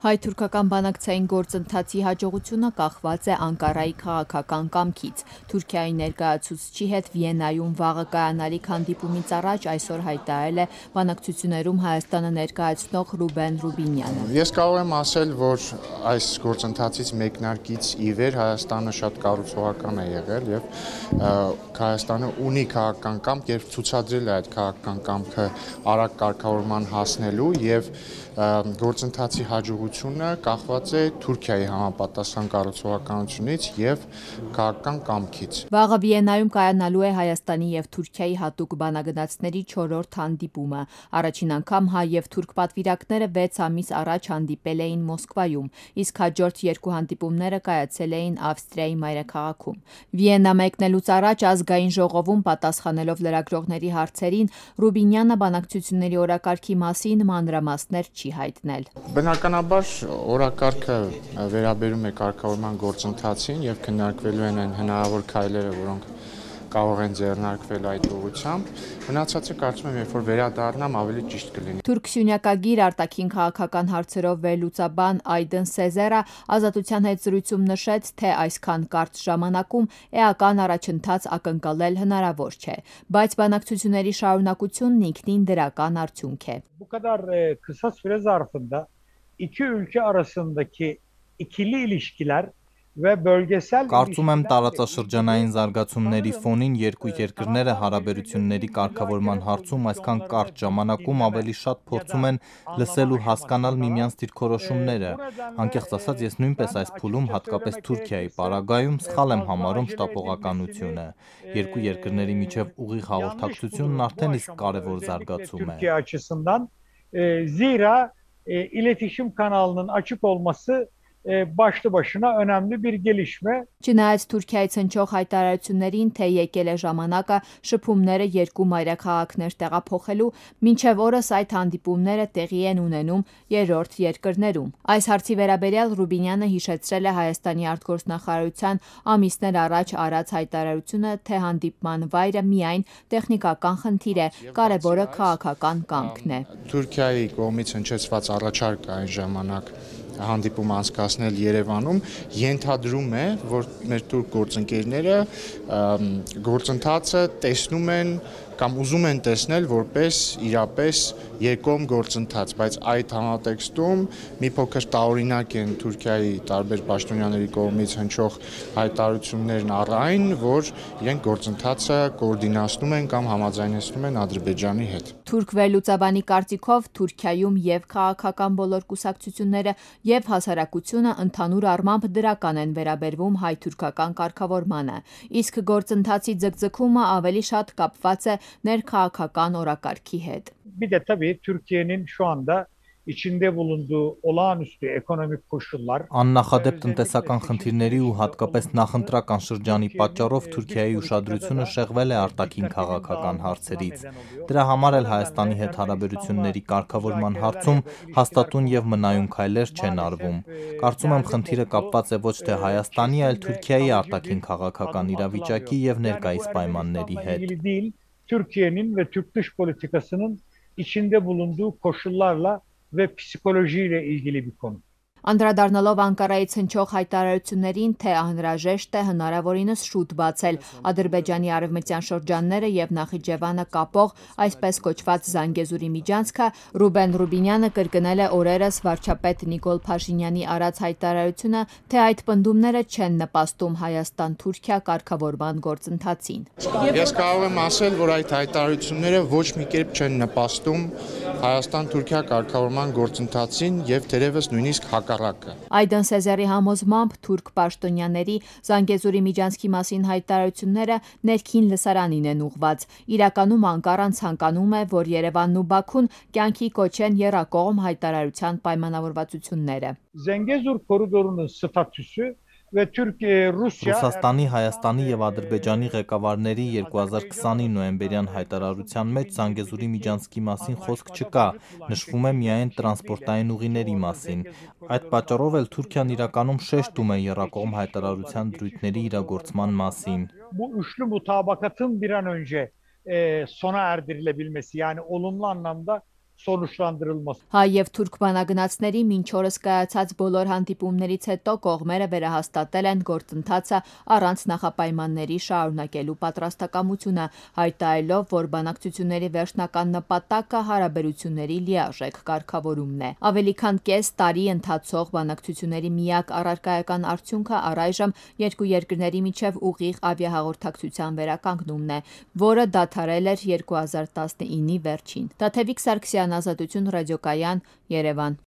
Հայ-թուրքական բանակցային գործընթացի հաջողությունը կախված է Անկարայի քաղաքական կամքից։ Թուրքիայի ներկայացուցչի հետ Վիեննայում վաղը կայանալիք հանդիպումից առաջ այսօր հայտարարել է բանակցություններում Հայաստանը ներկայացնող Ռուբեն Ռուբինյանը։ Ես կարող եմ ասել, որ այս գործընթացից մեկնարկից ի վեր Հայաստանը շատ կառուցողական է եղել եւ Հայաստանը ունի քաղաքական կամք, երբ ցուցադրել է այդ քաղաքական կամքը արագ կարգավորման հասնելու եւ գործընթացի հաջողությունը կախված է Թուրքիայի համապատասխան կառուցողականությունից եւ քաղաքական կամքից։ Վաղը Վիեննայում կայանալու է Հայաստանի եւ Թուրքիայի հատուկ բանագնացների 4-րդ հանդիպումը։ Առաջին անգամ հայ եւ թուրք պատվիրակները 6 ամիս առաջ հանդիպել էին Մոսկվայում, իսկ հաջորդ երկու հանդիպումները կայացել էին Ավստրիայի մայրաքաղաքում։ Վիեննա մեկնելուց առաջ ազգային ժողովում պատասխանելով լրագրողների հարցերին Ռուբինյանը բանակցությունների օրակարգի մասին մանրամասներ չի հայտնել։ Բնականաբար օրակարգը վերաբերում է կարգավորման գործընթացին եւ քննարկվելու են այն հնարավոր քայլերը, որոնք կարող են ձեռնարկվել այդ ուղղությամբ։ Մնացածը կարծում եմ, երբ որ վերադառնամ, ավելի ճիշտ կլինի։ Թուրք-սյունյակագիր արտաքին քաղաքական հարցերով վերլուծաբան Այդեն Սեզերը Ազատության հետ զրույցում նշեց, թե այսքան կարճ ժամանակում էական առաջընթաց ակնկալել հնարավոր չէ, բայց բանակցությունների շարունակությունն ինքնին դրական արդյունք է։ Bu kadar kısa süre zarfında iki ülke arasındaki ikili ilişkiler ve bölgesel Կարծում եմ տարածաշրջանային զարգացումների ֆոնին երկու երկրները հարաբերությունների կարգավորման հարցում այսքան կարճ ժամանակում ավելի շատ փորձում են լսել ու հասկանալ միմյանց դիրքորոշումները։ Անկեղծ ասած, ես նույնպես այս փուլում, հատկապես Թուրքիայի պարագայում, սխալ եմ համարում շտապողականությունը։ Երկու երկրների միջև ուղիղ հաղորդակցությունն արդեն իսկ կարևոր զարգացում է։ Türkiye açısından zira iletişim kanalının açık olması başlı başına önemli bir gelişme. Չնայած Թուրքիայից հնչող հայտարարություններին, թե եկել է ժամանակը շփումները երկու մայրաքաղաքներ տեղափոխելու, մինչև օրս այդ հանդիպումները տեղի են ունենում երրորդ երկրներում։ Այս հարցի վերաբերյալ Ռուբինյանը հիշեցրել է Հայաստանի արտգործնախարարության ամիսներ առաջ արած հայտարարությունը, թե հանդիպման վայրը միայն տեխնիկական խնդիր է, կարևորը քաղաքական կամքն է։ Թուրքիայի կողմից հնչեցված առաջարկը այն ժամանակ հանդիպում անցկացնել Երևանում ենթադրում է, որ մեր թուրք գործընկերները գործընթացը տեսնում են կամ ուզում են տեսնել որպես իրապես երկկողմ գործընթաց, բայց այդ համատեքստում մի փոքր տարօրինակ են Թուրքիայի տարբեր պաշտոնյաների կողմից հնչող հայտարարություններն առ այն, որ իրենք գործընթացը կոորդինացնում են կամ համաձայնեցնում են Ադրբեջանի հետ։ Թուրք վերլուծաբանի կարծիքով Թուրքիայում եւ քաղաքական բոլոր կուսակցությունները եւ հասարակությունը ընդհանուր առմամբ դրական են վերաբերվում հայ-թուրքական կարգավորմանը, իսկ գործընթացի ձգձգումը ավելի շատ կապված է ներքաղաքական օրակարգի հետ։ Bir de tabii Türkiye'nin şu anda içinde bulunduğu olağanüstü ekonomik koşullar Աննախադեպ տնտեսական խնդիրների ու հատկապես նախընտրական շրջանի պատճառով Թուրքիայի ուշադրությունը շեղվել է արտաքին քաղաքական հարցերից։ Դրա համար էլ Հայաստանի հետ հարաբերությունների կարգավորման հարցում հաստատուն եւ մնայուն քայլեր չեն արվում։ Կարծում եմ խնդիրը կապված է ոչ թե Հայաստանի, այլ Թուրքիայի արտաքին քաղաքական իրավիճակի եւ ներկայիս պայմանների հետ։ Türkiye'nin ve Türk dış politikasının içinde bulunduğu koşullarla ve psikolojiyle ilgili bir konu. Անդրադառնալով Անկարայից հնչող հայտարարություններին, թե անհրաժեշտ է հնարավորինս շուտ բացել Ադրբեջանի արևմտյան շրջանները եւ Նախիջևանը կապող այսպես կոչված Զանգեզուրի միջանցքը, Ռուբեն Ռուբինյանը կրկնել է օրերս վարչապետ Նիկոլ Փաշինյանի արած հայտարարությունը, թե այդ պնդումները չեն նպաստում Հայաստան-Թուրքիա կարգավորման գործընթացին։ Ես կարող եմ ասել, որ այդ հայտարարությունները ոչ մի կերպ չեն նպաստում Հայաստան-Թուրքիա կարգավորման գործընթացին եւ թերևս նույնիսկ Այդեն Սեզերի համոզմամբ թուրք պաշտոնյաների Զանգեզուրի միջանցքի մասին հայտարարությունները ներքին լսարանին են ուղված։ Իրականում Անկարան ցանկանում է, որ Երևանն ու Բաքուն կյանքի կոչեն եռակողմ հայտարարության պայմանավորվածությունները։ Zengezur koridorunun statüsü ve Türkiye-Rusya Ռուսաստանի, Հայաստանի եւ Ադրբեջանի ղեկավարների 2020-ի նոյեմբերյան հայտարարության մեջ Զանգեզուրի միջանցքի մասին խոսք չկա, նշվում է միայն տրանսպորտային ուղիների մասին։ Այդ պատճառով էլ Թուրքիան իրականում շեշտում է եռակողմ հայտարարության դրույթների իրագործման մասին։ Bu üçlü mutabakatın bir an önce sona erdirilebilmesi yani olumlu anlamda sonuçlandırılması. Հայ եւ թուրք բանագնացների մինչ օրս կայացած բոլոր հանդիպումներից հետո կողմերը վերահաստատել են գործընթացը առանց նախապայմանների շարունակելու պատրաստակամությունը, հայտարարելով, որ բանակցությունների վերջնական նպատակը հարաբերությունների լիարժեք կարգավորումն է։ Ավելի քան կես տարի ընթացող բանակցությունների միակ առարկայական արդյունքը առայժմ երկու երկրների միջև ուղիղ ավիահաղորդակցության վերականգնումն է, որը դադարել էր 2019-ի վերջին։ Տաթևիկ Սարգսյան, Ազատություն ռադիոկայան, Երևան։